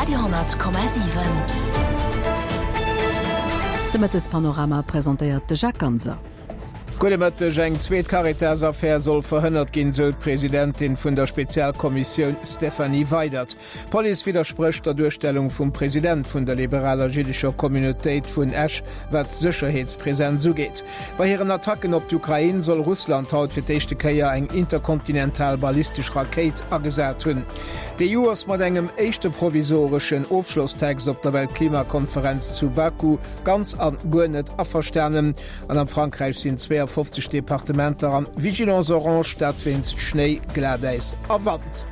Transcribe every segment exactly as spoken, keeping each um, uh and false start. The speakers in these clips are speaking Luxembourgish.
Radio honnert Komma siwen. De Mëttespanorama presentéiert de Jacques Ganser. Gudde Mëtteg, Eng zweet Caritas-Affär soll verhënnert ginn, sou d'Presidentin vun der Spezialkommissioun Stéphanie Weydert. D'Police widdersprécht der Duerstellung vum President vun der liberaler jiddescher Communautéit vun Esch, wat d'Sécherheetspresenz ugeet. Bei hiren Attacken op d'Ukrain soll Russland haut fir d'éischte Kéier eng interkontinental ballistesch Rakéit agesat hunn. D'E U ass mat engem éischte provisoreschen Ofschlosstext op der Weltklimakonferenz zu Baku ganz an guer net averstanen. An am Frankräich sinn zweeafofzeg Departementer an Vigilance orange, dat wéinst Schnéi, Glatäis a Wand.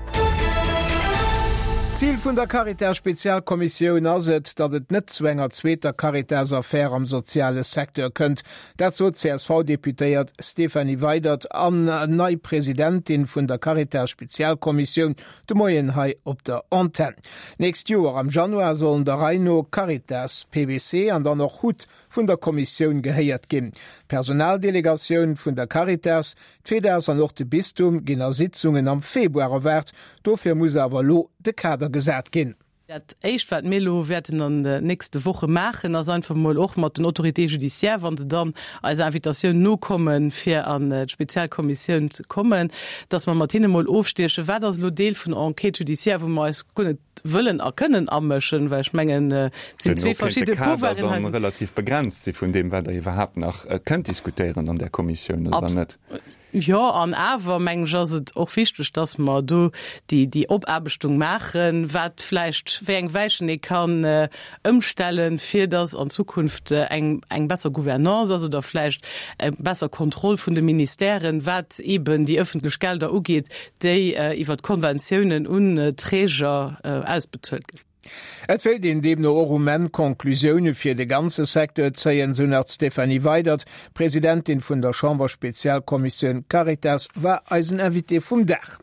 Zil vun der Caritas-Spezialkommissioun ass et, datt et net zu enger zweeter Caritas-Affär am soziale Secteur kënnt. Dat sot d'C S V-Deputéiert Stéphanie Weydert an nei Presidentin vun der Caritas-Spezialkommissioun de Moien hei op der Antenn. Nächst Joer am Januar sollen der Rei no Caritas, P W C an dann och HUT vun der Kommissioun gehéiert ginn. D'Personaldelegatioun vun der Caritas, d'FEDAS an och de Bistum ginn a Sitzungen am Februar erwaart. Dofir muss awer elo de Kader gesat ginn. Dat éischt, wat mir elo wäerten an de nächste Woche maachen, ass einfach mol och mat den Autorités judiciaires, wann se dann eiser Invitatioun nokommen, fir an d'Spezialkommissioun ze kommen, dass mer mat hinne mol ofstiechen, wat ass elo Deel vun Enquête judiciaire, wou mer eis guer net wëllen a kënnen amëschen, well ech mengen, et sinn zwee verschidde Pouvoiren hei. Relativ begrenzt si vun deem, wat der iwwerhaapt nach kënnt diskutéieren an der Kommissioun oder net. Jo, an awer mengen ech ass et och wichteg, dass mer do déi déi Opaarbechtung maachen, wat vläicht wéi eng Weichen ee kann ëmstellen, fir dass an Zukunft eng eng besser Gouvernance ass oder vläicht eng besser Kontroll vun de Ministèren, wat eben déi ëffentlech Gelder ugeet, déi iwwert d'Konventiounen un Träger ausbezuelt ginn. Et wéilt een deemno och um Enn Conclusioune fir de ganze Secteur zéien, sou nach d'Stéphanie Weydert. D'Presidentin vun der Chamberspezialkommissioun Caritas war eisen Invité vum Dag.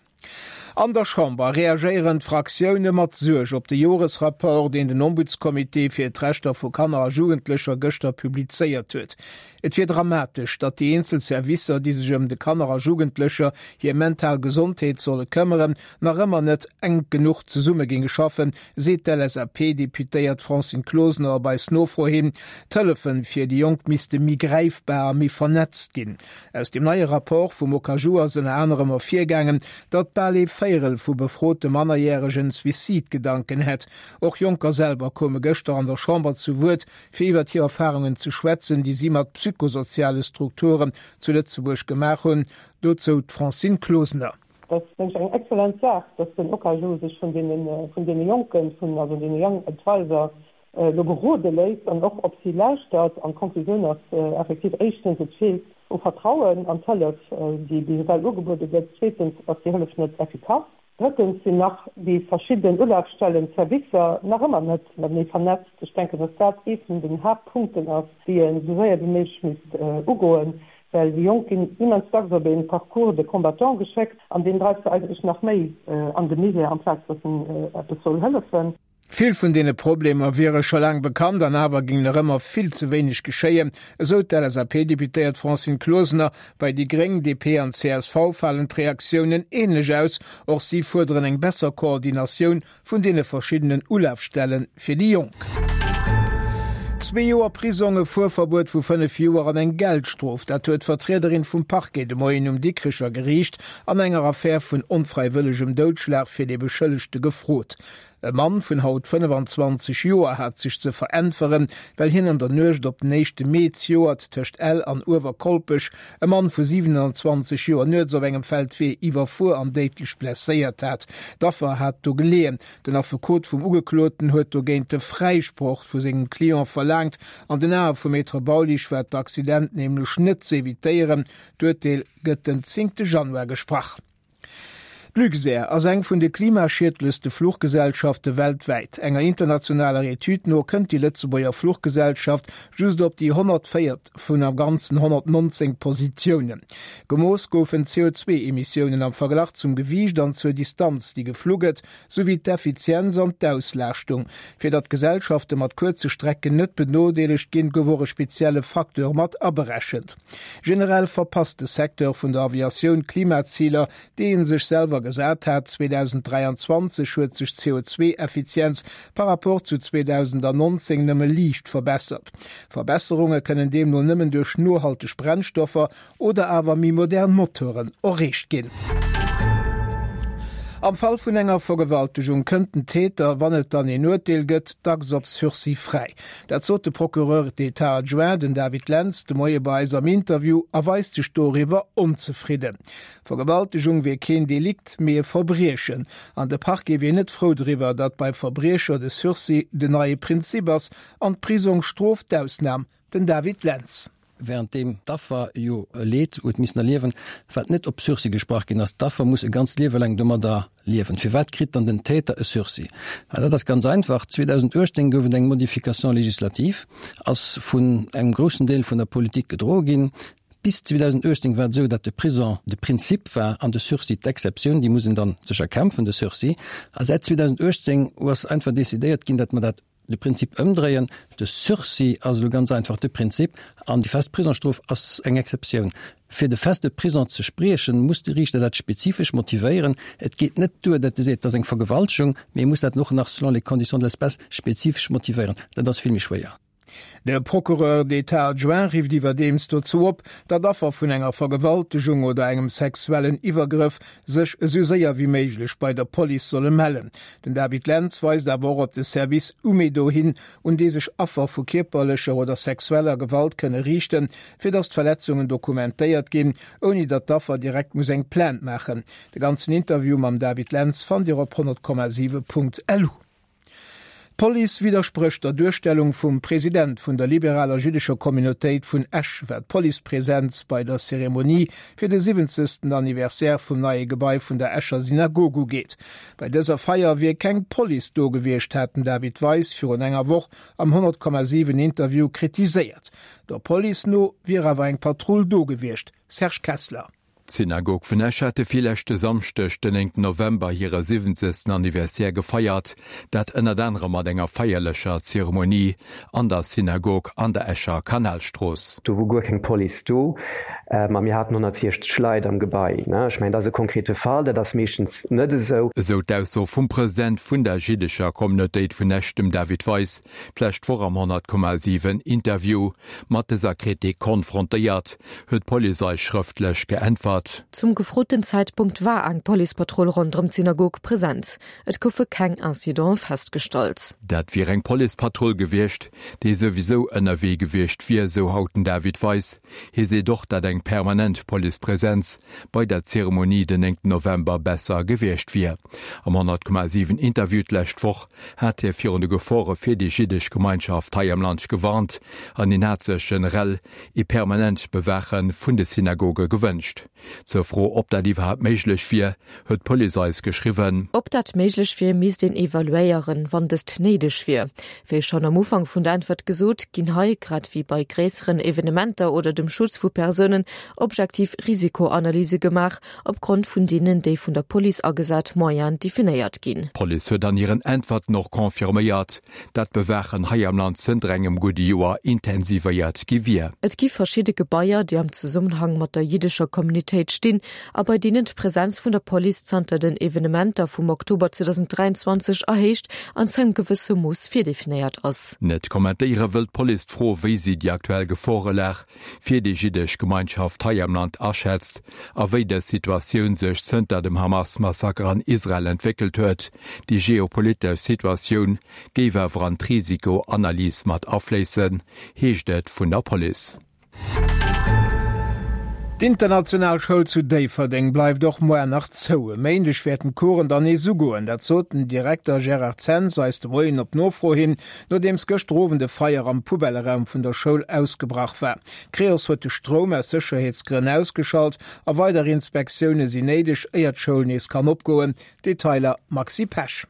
An der Chamber reagéieren d'Fraktioune mat Suerg op de Joresrapport, deen den Ombudscomité fir d'Rechter vu Kanner a Jugendlecher gëschter publizéiert huet. Et wier dramatesch, datt déi eenzel Servicer, déi sech ëm de Kanner a Jugendlecher hir mental Gesondheet solle këmmeren, nach ëmmer net enk genuch zesumme géinge schaffen, seet d'L S A P-Deputéiert Francine Closener op eis Nofro hin. D'Hëllefe fir déi Jonk misste méi gräifbar a méi vernetzt ginn. Aus dem neie Rapport vum OKaJu ass ënner anerem ervirgaangen, datt bal ee Véierel vu befrote Mannerjäregen Suizidgedanken hätt. Och Jonker selwer koume gëschter an der Chamber zu Wuert, fir iwwer hir Erfarungen ze schwätzen, déi si mat psychosoziale Strukturen zu Lëtzebuerg gemaach hunn. Dozou d'Francine Closener. Dat ass, denken ech, eng excellent Saach, dass den OKaJu sech vun deene, vun deene Jonken, vun also deene Young Advisor elo berode léisst an och op si lauschtert. An d'Konklusioun ass effektiv, éischtens, et feelt u Vertrauen an d'Hëllef, déi bis ewell ugebuede gëtt, zweetens ass déi Hëllef net effikass, drëttens sinn nach déi verschidden Ulafstellen, Servicer nach ëmmer net matenee vernetzt. Ech denken, dass dat ee vun den Haaptpunkten ass, déi een esou séier wéi méiglech misst ugoen, well déi Jonk ginn immens dacks op ee Parcours de combattant geschéckt an deen dreift se eigentlech nach méi an de Misär, amplaz dass en eppes soll hëllefen. Vill vun deene Problemer wiere scho laang bekannt an awer géing nach ëmmer vill ze wéineg geschéien, esou d'L S A P-Deputéiert Francine Closener. Bei déi Gréng, D P an C S V falen d'Reaktiounen änlech aus. Och si fuerderen eng besser Koordinatioun vun deene verschiddenen Ulafstelle fir déi Jonk. Zwee Joer Prisong, e Fuerverbuet vu fënnef Joer an eng Geldstrof, dat huet d'Vertriederin vum Parquet de Moien um Dikricher Geriicht an enger Affär vun onfräiwëllegem Doudschlag fir de Beschëllegte gefrot. E Mann vun haut fënnefenzwanzeg Joer hat sech ze veräntweren, well hien an der Nuecht op den éischte Mee zejoert tëscht Ell an Uewerkolpech e Mann vu siwenanzwanzeg Joer nuets op engem Feldwee iwwerfuer an déidlech blesséiert hat. D'Affer hat do geleeën. Den Affekot vum Ugekloten huet dogéint de Fräisproch vu sengem Client verlaangt. An den Ae vum Maître Baulisch war d'Accident nämlech net ze evitéieren. D'Urteel gëtt den zéngte Januar gesprach. D'Luxair ass eng vun de klimaschiedlechste Fluchgesellschafte weltwäit. Enger internationaler Etüd no kënnt déi Lëtzebuerger Fluchgesellschaft just op déi honnertvéiert vun am Ganzen honnertnonzéng Positiounen. Gemooss goufen C O zwee Emissiounen am Verglach zum Gewiicht an zur Distanz, déi geflu gëtt, souwéi d'Effizienz an d'Auslaaschtung. Fir datt Gesellschafte mat kuerze Strecken net benodeelegt ginn, gouf och e spezielle Facteur mat aberechent. Generell verpasst de Secteur vun der Aviatioun d'Klimaziler, déi e sech selwer Zieler gesat hat. zweedausenddräianzwanzeg huet sech d'C O zwei Effizienz par rapport zu zweedausendnonzéng nëmme liicht verbessert. Verbesserunge kënnen deemno nëmmen duerch nohalteg Brennstoffer oder awer méi modern Moteuren erreecht ginn. Am Fall vun enger Vergewaltegung kënnt den Täter, wann et dann een Urteel gëtt, dacks op Sursis fräi. Dat sot de Procureur d'État adjoint, den David Lentz, de Moie bei eis am Interview a weist sech doriwwer onzefridden. Vergewaltegung wier keen Delikt, mee e Verbriechen. An de Parquet wier net frou driwwer, datt bei Verbriecher de Sursis den neie Prinzip ass an d'Prisongsstrof d'Ausnam. Den David Lentz. Wärenddeem d'Affer jo e Leed huet missen erliewen, wat net op Sursis gesprach ginn ass. D'Affer muss e ganzt Liewe laang domadder liewen. Firwat kritt dann den Täter e Sursis? Well dat ass ganz einfach, zweedausenduechtzéng gouf et eng Modification législative, ass vun engem groussen Deel vun der Politik gedroe ginn. Bis zweedausenduechtzéng war et esou, datt de Prison de Prinzip war an de Sursis d'Exceptioun, déi muss een dann sech erkämpfen, de Sursis. A säit zweedausenduechtzéng ass einfach decidéiert ginn, datt mer dat de Prinzip ëmdréien, de Sursis ass elo ganz einfach de Prinzip an déi fest Prisongsstrof ass eng Exceptioun. Fir de feste Prisong ze spriechen, muss de Riichter dat spezifesch motivéieren. Et geet net duer, datt e seet, et ass eng Vergewaltegung, mee e muss dat och nach selon les conditions de l'espèce spezifesch motivéieren. Dat ass vill méi schwéier. De Procureur d'État adjoint rifft iwwerdeems dozou op, datt Affer vun enger Vergewaltegung oder engem sexuellen Iwwergrëff sech esou séier wéi méiglech bei der Police solle mellen. Den David Lentz weist awer och op de Service Umedo hin, un dee sech Affer vu kierperlecher oder sexueller Gewalt kënne riichten, fir datt d'Verletzungen dokumentéiert ginn, ouni datt d'Affer direkt muss eng Plainte maachen. De ganzen Interview mam David Lentz fannt Dir op honnert Komma siwe Punkt lu. D'Police widdersprécht der Duerstellung vum President vun der liberaler jüddescher Communautéit vun Esch, wat d'Policepresenz bei der Zeremonie fir de siwwenzegsten Anniversaire vum neie Gebai vun der Escher Synagog ugeet. Bei dëser Feier wier keng Police do gewiescht, hat den David Weis virun enger Woch am honnert Komma siwen Interview kritiséiert. Der Police no wier awer eng Patrull do gewiescht. Serge Kessler. D'Synagog vun Esch hat de virleschte Samschdeg, den néngten November, hire siwwenzegsten Anniversaire gefeiert, dat ënnert anerem mat enger feierlecher Zeremonie an der Synagog an der Escher Kanalstrooss. Do wor guer keng Police do, a mir haten honnertsiechzeg Leit am Gebai. Ech mengen, dat ass e konkrete Fall, dat ass meeschtens net esou. Esou d'Ausso vum President vun der jiddescher Communautéit vun Esch, dem David Weis, d'lescht Woch am honnert Komma siwen Interview. Mat dëser Kritik konfrontéiert, huet d'Police eis schrëftlech geäntwert. Zum gefroten Zäitpunkt war eng Policepatrull ronderëm d'Synagog present. Et goufe keng Incidente festgestallt. Dat wier eng Policepatrull gewiescht, déi souwisou ënnerwee gewiescht wier, sou haut den David Weis. Hie seet och, datt eng permanent Policepresenz bei der Zeremonie den néngten November besser gewiescht wier. Am honnert Komma siwen Interview d'lescht Woch hat hie virun de Gefore fir déi jiddesch Gemeinschaft hei am Land gewarnt an hien hat sech generell ee permanent Bewaache vun de Synagoge gewënscht. Zur Fro, ob dat iwwerhaapt méiglech wier, huet d'Police eis geschriwwen. Ob dat méiglech wier, misst een evaluéieren, wann dëst néideg wier. Wéi schonn am Ufank vun der Äntwert gesot, ginn hei, grad wéi bei gréisseren Evenementer oder dem Schutz vu Persounen, objektiv Risikoanalyse gemaach, opgrond vun deenen déi vun der Police agesat Moyenen definéiert ginn. D'Police huet an hiren Äntwerten och confirméiert, dat d'Bewaachen hei am Land zënter engem gudde Joer intensivéiert gi wier. Et gi verschidde Gebaier, déi am Zesummenhang mat der jiddescher Communitéit stinn a bei deenen d'Presenz vun der Police zanter den Evenementer vum Oktober zweedausenddräianzwanzeg erhéicht an zu engem gewësse Mooss virdefinéiert ass. Net kommentéiere wëll d'Police d'Fro, wéi si déi aktuell Geforelag fir déi jiddesch Gemeinschaft hei am Land aschätzt a wéi dës Situatioun sech zënter dem Hamas-Massaker an Israel entwéckelt huet. Déi geopolitesch Situatioun géif awer an d'Risikoanalys mat afléissen, heescht et vun der Police. D'International Schoul zu Déifferdeng bleift och muer nach zou. E Méindeg wäerten d'Coursen dann nees ugoen. Dat sot den Direkter Gérard Zens eis de Moien op Nofro hin, nodeems gëschter Owend e Feier am Poubelleraum vun der Schoul ausgebrach war. D'Creos huet de Stroum aus Sécherheetsgrënn ausgeschalt a weider Inspektioune sinn néideg, éier d'Schoul nees kann opgoen. Detailer Maxi Pesch.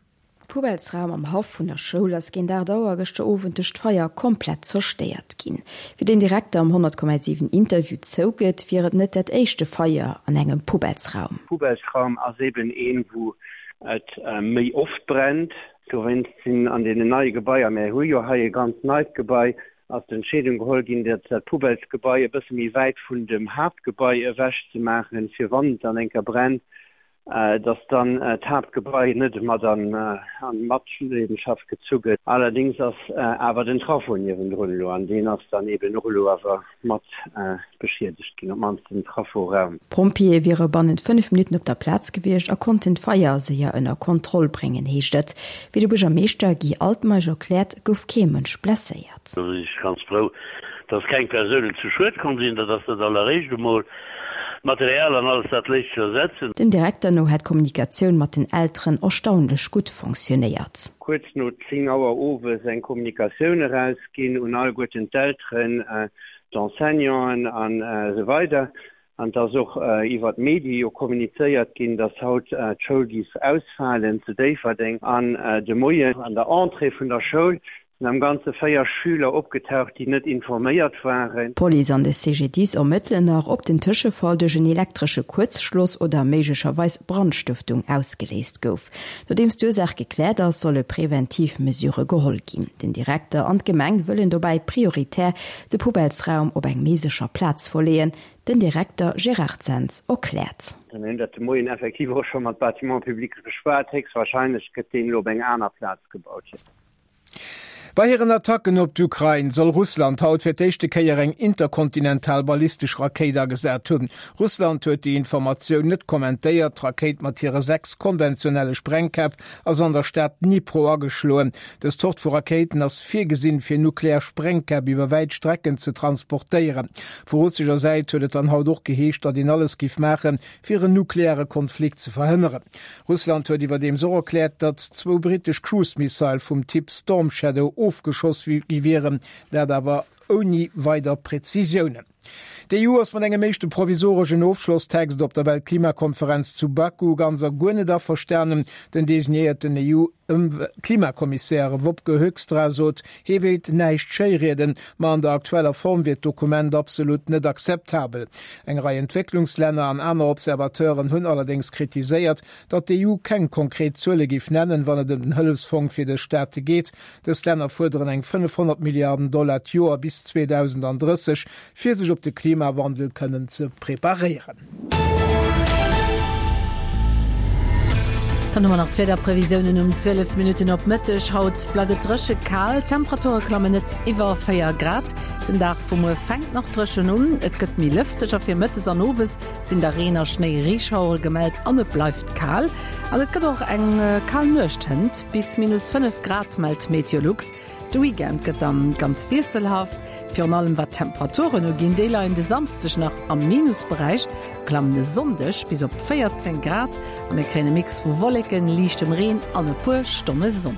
Poubellsraum am Haff vun der Schoul ass géint aacht Auer gëschter Owend duerch d'Feier komplett zerstéiert ginn. Wéi den Direkter am honnert Komma siwen Interview zougëtt, wier et net dat éischte Feier an engem Poubellsraum. Poubellsraum ass eben een, wou et méi oft brennt. Dowéinst sinn an deenen neie Gebaier, mär hu jo hei e ganz neit Gebai, ass d'Entscheedung geholl ginn, dat dat Poubellsgebai e bësse méi wäit vun dem Haaptgebai ewech ze maachen, fir wann et dann eng Kéier brennt, dass dann d'Haaptgebai net mat an Matleedenschaft gezu gëtt. Allerdéngs ass awer den Trafo niewendrun elo, an deen ass dann eeben och elo awer mat beschiedegt ginn, op d'mannst den Traforaum. D'Pompjeeë wiere bannent fënnef Minutten op der Plaz gewiescht a konnten d'Feier séier ënner Kontroll bréngen, heescht et. Wéi de Buergermeeschter Guy Altmeisch erkläert, gouf kee Mënsch blesséiert. Do sinn ech ganz frou, dass keng Persounen zu Schued komm sinn. Dat ass dat alleréischt emol. D'Material an alles dat léisst sech ersetzen. Dem Direkter no hätt d'Kommunikatioun mat den Elteren erstaunlech gutt fonctionnéiert. Kuerz no zéng Auer owes eng Kommunikatioun erausginn un alleguerten d'Elteren, d'Enseignanten an esou weider. An et ass och iwwer d'Medie jo kommunizéiert ginn, dass haut d'Schoul giff ausfalen zu Déifferdeng an de Moien an der Entrée vun der Schoul Sinn am Ganze véier Schüler opgetaucht, déi net informéiert waren. D'Police an de C G D I S ermëttelen nach, ob den Tëschefall duerch en elektresche Kuerzschloss oder méiglecherweis Brandstëftung ausgeléist gouf. Nodeems d'Ursaach gekläert ass, solle preventiv Mesure geholl ginn. Den Direkter an d'Gemeng wëllen dobäi prioritär de Poubellesraum op eng méi sécher Plaz verleeën. Den Direkter Gérard Zens erkläert. Mir hunn dat de Moien effektiv och scho mat Bâtiments publics beschwat. Héchstwahrscheinlech gëtt deen elo op eng aner Plaz gebaut. Bei hiren Attacken op d'Ukrain soll Russland haut fir d'éischte Kéier eng interkontinental ballistesch Rakéit agesat hunn. Russland huet déi Informatioun net kommentéiert. D'Rakéit mat hire sechs konventionelle Sprengkäpp ass an der Stad Dnipro ageschloen. Dës Zort vu Rakéiten ass virgesinn, fir nuklear Sprengkäpp iwwer wäit Strecken ze transportéieren. Vu russescher Säit huet et dann haut och geheescht, datt een alles giff maachen, fir en nukleare Konflikt ze verhënneren. Russland huet iwwerdeems och erkläert, datt zwou brittesch Cruise-Missile vum Typ Storm Shadow ofgeschoss gi wieren, dat awer ouni weider Prezisiounen. D'E U ass mat engem éischte provisoreschen Ofschlosstext op der Weltklimakonferenz zu Baku ganz a guer net averstanen. Den designéierten E U-Klimakommissär Wopke Hoekstra sot, hie wéilt näischt schéirieden, ma an der aktueller Form wier d'Dokument absolut net akzeptabel. Eng Rei Entwécklungslänner an aner Observateuren hunn allerdéngs kritiséiert, datt d'E U keng konkret Zuele géif nennen, wann et ëm den Hëllefsfong fir dës Staate geet. Dës Länner fuerderen eng fënnefhonnert Milliarden Dollar d'Joer bis zweedausendandrësseg, fir sech op de Klimawandel kënnen ze preparéieren. Dann hu mer nach d'Wiederprevisiounen um zwielef Minutten op Mëtteg. Haut bleift et dréche kal, d'Temperature klammen net iwwer véier Grad. Den Dag vu muer fänkt nach dréchen un, et gëtt méi lëfteg a fir mëttes an owes sinn da Reen a Schnéi-Reeschauere gemellt an et bleift kal. An et gëtt och eng kal Nuecht hënt, bis minus fënnef Grad mellt Meteolux. De Weekend gëtt dann ganz wiesselhaft, virun allem wat d'Temperaturen uginn. Déi leien de Samsdeg nach am Minusberäich, klammen e Sonndeg bis op véierzéng Grad a mir kréien e Mix vu Wolleken, liichtem Reen an e puer Stonne Sonn.